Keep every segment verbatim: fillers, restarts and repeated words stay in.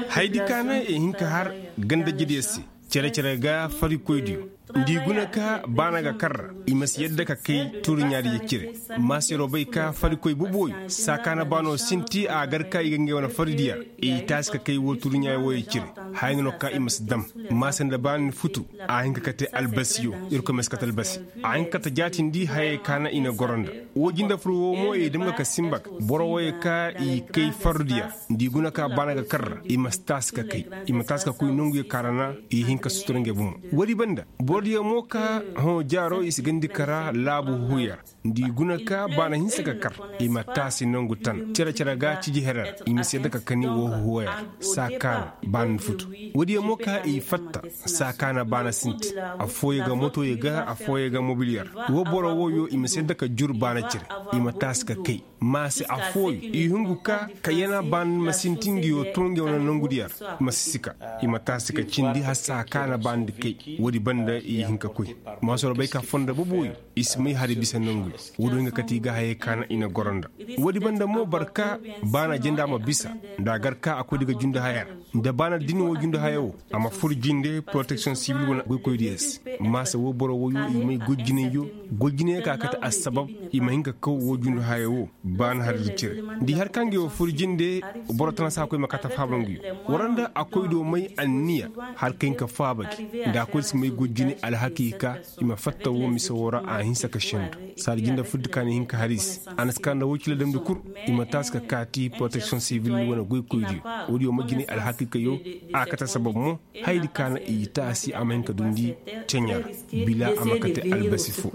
Haya di ka naŋ i hin ka har ganda jediyo se. Cere-cere ga farikoydiyo nda i guna ka baana ga karra, i ma si yadda ka kay turuɲaadiyo cire. Maasero bay ka farikoy boboyo saa ka na baano sinti a gar ka i ga ngey wane faridiyo ra. I taasi ka kay woo turuɲaay wooyo cire. Haya nga no ka i ma si dam. Maase nda baana ni futu. A hin ka kate albasiyo. Irkoy ma si kate albasi. A hin ka kate jaatindi hayey ka na i na goro nda. Woo jinde fur woo mo i dam ga ka simba ga boro wooyo ka i kay fardiyo ra. Nda i guna ka baana ga karra i ma si taasi ka kay. I ma taasi ka koy nonguyo ka ra na i hin ka sutura ngey bomo. Woodi banda borodiyo mo ka hõ jaaro i si gandi kara laabu huhuyo ra. Nda i guna ka baana hinsa ka kar, i ma taasi nongu tan cere-cere ga ciji here ra. I ma si yadda ka kani woo huhuyo ra. Saa ka na baana ni futu. Woodiyo mo ka i fatta. Saa ka na baana sinti. Affooyo ga motoyo ga affooyo ga mobiliyo ra. Woo boro wooyo i ma si yadda ka jur baana cire. I ma taasi ka kay. Maase affooyo i hungu ka kayyana baana ma sinti nga yoo too nga yoo na nongudiyo ra. Ma si sika. I ma taasi ka cindi hala saa ka na baana di kay. Woodi banda i hin ka koy. Maasoro bay ka fondo boboyo. I si may hari bisa nonguyo. Woodi way nga kate i ga hayey ka na i na goro nda. Woodi banda mo boro ka baana jenda ma bisa. Nda a gar ka a koy di ga jundi haya ra. Nda baana din woo jundi haya woo a ma fur jinde poroteksiyoŋ sibil wane goykoydiyo se. Maase woo boro wooyo i may goy jinay yoo. Goy jinay ka kate assabab i ma hin ka kaw woo jundi haya woo. Baana hari di cire. Nda i har ka nga yoo fur jinde. Boro tana se a koy ma kate faaba nga yoo. War nda a koy do may anniya. Har ka hin ka faaba gi. Nda a koy di si may goy jinay alhakiika. I ma fatta woo mise woo ra a hinsa ka sendu. Saadi jinde fur di ka na i hin ka har i se. A na si ka nda woy cila damndi kul. I ma taasi ka kaati poroteksiyoŋ sibil wane goykoydiyo. Woodiyo ma jinay alhakiika yoo. A kate sabab mo. Haya di ka na i taasi a ma hin ka dundi ceɲa ra. Bila a ma kate albasi foo.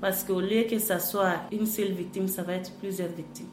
Parce que au lieu que sa soit une seule victime sa va être plusieurs victimes.